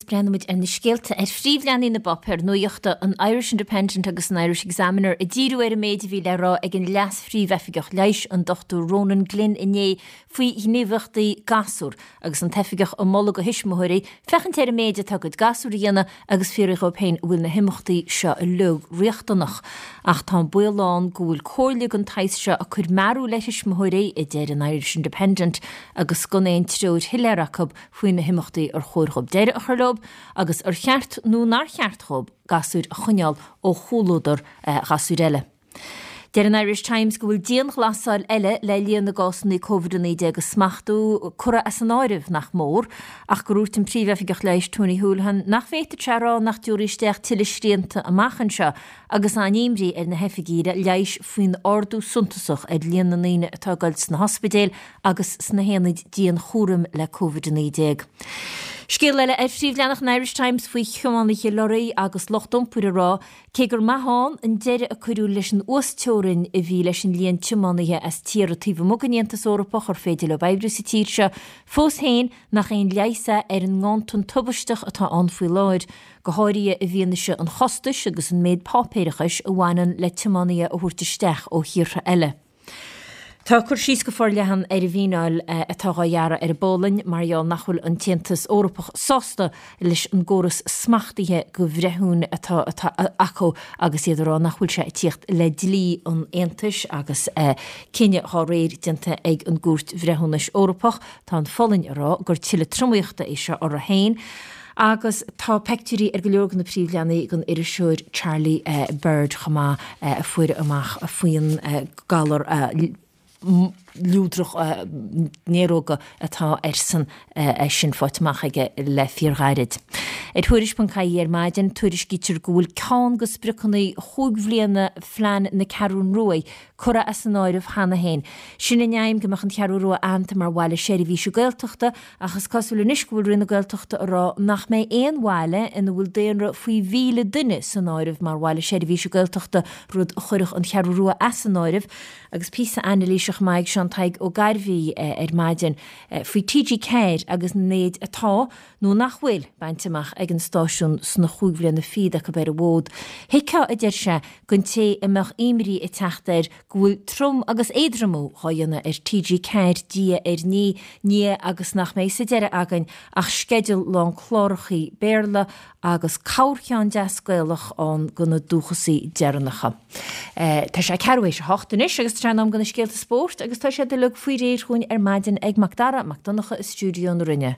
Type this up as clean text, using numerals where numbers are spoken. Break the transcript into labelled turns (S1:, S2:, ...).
S1: breathnóimid ar na scéalta ar phríomhleathanaigh na bpáipéar nuachta, an Irish Independent agus an Irish Examiner, ag díriú ar an méid a bhí le rá ag an Leas-Phríomhoifigeach Leighis, an Dr Ronan Glynn inné faoi ghníomhaíochtaí gasúr agus an t-oifigeach ag moladh do thuismitheoirí féachaint ar an méid atá a gcuid gasúr a dhéanamh agus fiafraí dhóibh féin an bhfuil na himeachtaí seo uilig riachtanach. Ach tá an baol ann go bhfuil comhairle den tsaghas seo ag cur mearbhaill ar thuismitheoirí, a deir an Irish Independent, agus gan aon treoir shoiléir acu faoi na himeachtaí ar chóir dhóibh deireadh a chur leo agus ar cheart nó nár cheart dhóibh gasúir a choinneáil ó chomhluadar ghasúir eile. Deir an Irish Times go bhfuil dianghlasáil eile le líon na gcásanna Covid-19 a smachtú curtha as an áireamh nach mór, ach gur dhúirt an Príomhoifigeach Leighis Tony Holohan nach bhféadfadh sé a rá nach dtiúrfaí isteach tuilleadh srianta amach anseo agus an-imní ar na hoifigigh leighis faoin ardú suntasach ar líon na ndaoine atá ag dul sna hospidéil agus sna haonaid dianchúraim le Covid-19. Scéal eile ar phríomhleathanach an Irish Times faoi thiománaithe lorraí agus lucht iompair ag rá cé gur maith ann an deireadh a cuireadh leis an uasteorainn a bhí leis an líon tiománaithe as tíortha taobh amuigh den Aontas Eorpach ar féidir leo oibriú sa tír seo, fós féin nach aon leigheas é ar an nganntan tubaisteach atá ann faoi láthair, go háirithe i bhfianaise an chostais agus an méid páipéarachais a bhaineann le tiománaithe a thabhairt isteach ó thíortha eile. Tá cur síos go forleathan ar an bhfíneáil atá dhá ghearradh ar an bPolainn mar gheall nach bhfuil an tAontas Eorpach sásta leis an gcóras smachtaithe go bhreithiúin atá acu agus iad ag rá nach bhfuil sé ag tíocht le dlí an Aontais agus cinneadh dhá réir déanta ag an gCúirt Bhreithiúnais Eorpach. Tá an Pholainn ag rá gur tuilleadh tromaíochta é seo orthu féin. Agus tá peictiúirí ar go leor de na príomhleathanaigh den iriseoir Charlie Bird chomh maith a fuair amach faoin galar luadrach néaróga atá airsean é sin faighte amach aige le fíorghairid. Ar Tuairisc.ie ar maidin, tuairiscítear go bhfuil ceann de spriocanna chúig bhliana phlean na Ceathrún Rua curtha as an áireamh cheana féin. Sin an aidhm go mbeadh an Cheathrú Rua aitheanta mar bhaile seirbhíse Gaeltachta ach is cosúil anois go bhfuil Roinn na Gaeltachta ag rá nach mbeidh aon bhaile ina bhfuil daonra faoi mhíle duine san áireamh mar bhaile seirbhíse Gaeltachta, rud a chuirfeadh an Cheathrú Rua as an áireamh. Agus píosa anailíse chomh maith ag Seán Tadhg Ó Gairbhí ar maidin faoi TG4 agus an méid atá, nó nach bhfuil, bainte amach ag an stáisiún sna chúig bhliana fichead acu ar an bhfód. Thuigfeá, a deir sé, don té a mbeadh imní ag teacht air go bhfuil trom agus éadromú dhá dhéanamh ar TG4 diaidh ar ndiaidh agus nach mbeidh sa deireadh againn ach sceideal lán clárachaí Béarla agus corrcheann deas Gaelach ann do na dúchasaigh deireanacha. Tá sé ceathrú théis a hocht anois agus tá sé in am do na scéalta spóirt agus tá siad uilig faoi réir chugainn ar maidin ag Mac Dara Mac Donncha i stiúideo na Rinne.